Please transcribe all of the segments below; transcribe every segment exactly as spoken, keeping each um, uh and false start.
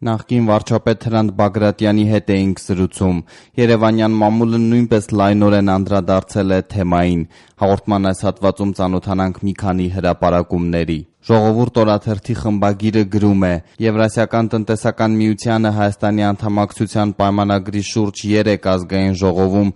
Նախկին վարչապետ Հրանտ Բագրատյանի հետ էինք զրուցում։ Երևանյան մամուլը նույնպես լայնորեն անդրադարձել է թեմային։ Հաղորդման այս հատվածում ծանոթանանք մի քանի հրապարակումների։ Ժողովուրդ օրաթերթի խմբագիրը գրում է. Եվրասիական տնտեսական միությանը Հայաստանի անդամակցության պայմանագրի շուրջ երեք ազգային ժողովում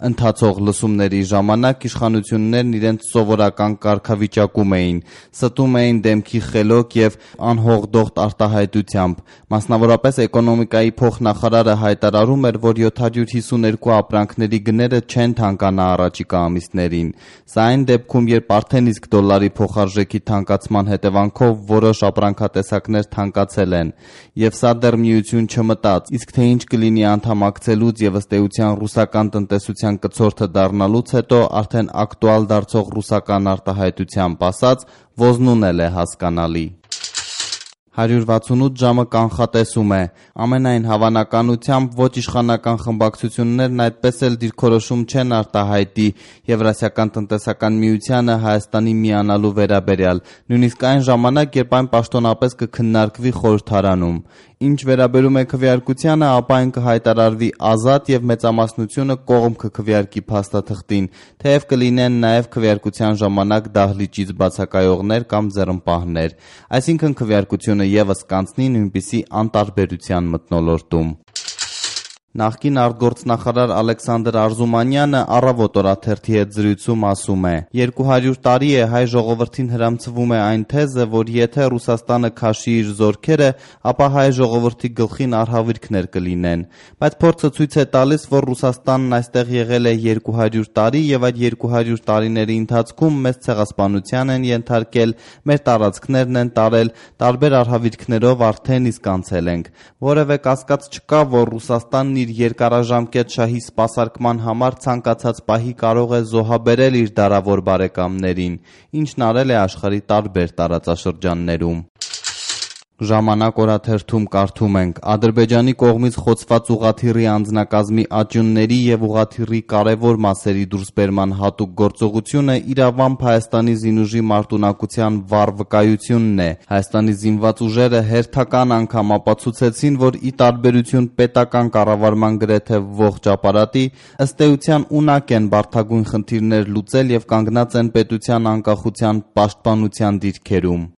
ընթացող լսումների ժամանակ իշխանություններն իրենց սովորական կարգավիճակում էին, ստում էին դեմքի խելոք եւ անհողդողդ արտահայտությամբ։ Մասնավորապես էկոնոմիկայի փոխնախարարը հայտարարում էր, որ յոթ հարյուր հիսուներկու ապրանքների գները չեն թանկանա առաջիկա ամիսներին։ Սա այն դեպքում, երբ արդեն իսկ դոլարի փոխարժեքի թանկացման հետևանքով որոշ ապրանքատեսակներ թանկացել են, եւ սա դեռ միություն չմտած, իսկ թե ինչ կլինի անդամակցելուց եւ ըստ էության ռուսական տնտեսության կցորդը դառնալուց հետո արդեն ակտուալ դարձող ռուսական արտահայտությամբ ասած, ոզնուն էլ է հասկանալի։ հարյուր վաթսունութ ժամը կանխատեսում է. ամենայն հավանականությամբ ոչ իշխանական խմբակցություններն այդպես էլ դիրքորոշում չեն արտահայտի Եվրասիական տնտեսական միությանը Հայաստանի միանալու վերաբերյալ, նույնիսկ այն ժամանակ, երբ այն պաշտոնապես կքննարկվի խորհրդարանում։ Ինչ վերաբերում է քվեարկությանը, ապա այն կհայտարարվի ազատ եւ մեծամասնությունը կողմ կքվեարկի փաստաթղթին, թեև կլինեն նաեւ քվեարկության ժամանակ դահլիճից բացակայողներ կամ ձեռնպահներ, այսինքն քվեարկությունը եւս կանցնի նույնպիսի անտարբերության մթնոլորտում։ Նախկին արտգործնախարար Ալեքսանդր Արզումանյանը Առավոտ օրաթերթի հետ զրույցում ասում է. երկու հարյուր տարի է հայ ժողովրդին հրամցվում է այն թեզը, որ եթե Ռուսաստանը քաշի իր զորքերը, ապա հայ ժողովրդի գլխին արհավիրքներ կլինեն, բայց փորձը ցույց է տալիս, որ Ռուսաստանն այստեղ եղել է երկու հարյուր տարի եւ այդ երկու հարյուր տարիների ընթացքում մեծ ցեղասպանության են ենթարկել, մեր տարածքներն են տարել, տարբեր արհավիրքներով արդեն իսկ անցել ենք։ Որևէ կասկած չկա, որ Ռուսաստանն իր երկարաժամկետ շահի սպասարկման համար ցանկացած պահի կարող է զոհաբերել իր դարավոր բարեկամներին, ինչն արել է աշխարհի տարբեր տարածաշրջաններում։ Ժամանակ օրաթերթում կարդում ենք. Ադրբեջանի կողմից խոցված ուղղաթիռի անձնակազմի աճյունների եւ ուղղաթիռի կարեւոր մասերի դուրսբերման հատուկ գործողությունը իրավամբ Հայաստանի զինուժի մարտունակության վառ վկայությունն է։ Հայաստանի զինված ուժերը հերթական անգամ ապացուցեցին, որ ի տարբերություն պետական կառավարման գրեթե ողջ ապարատի, ըստ էության ունակ են բարդագույն խնդիրներ լուծել եւ կանգնած են պետության անկախության պաշտպանության դիրքերում։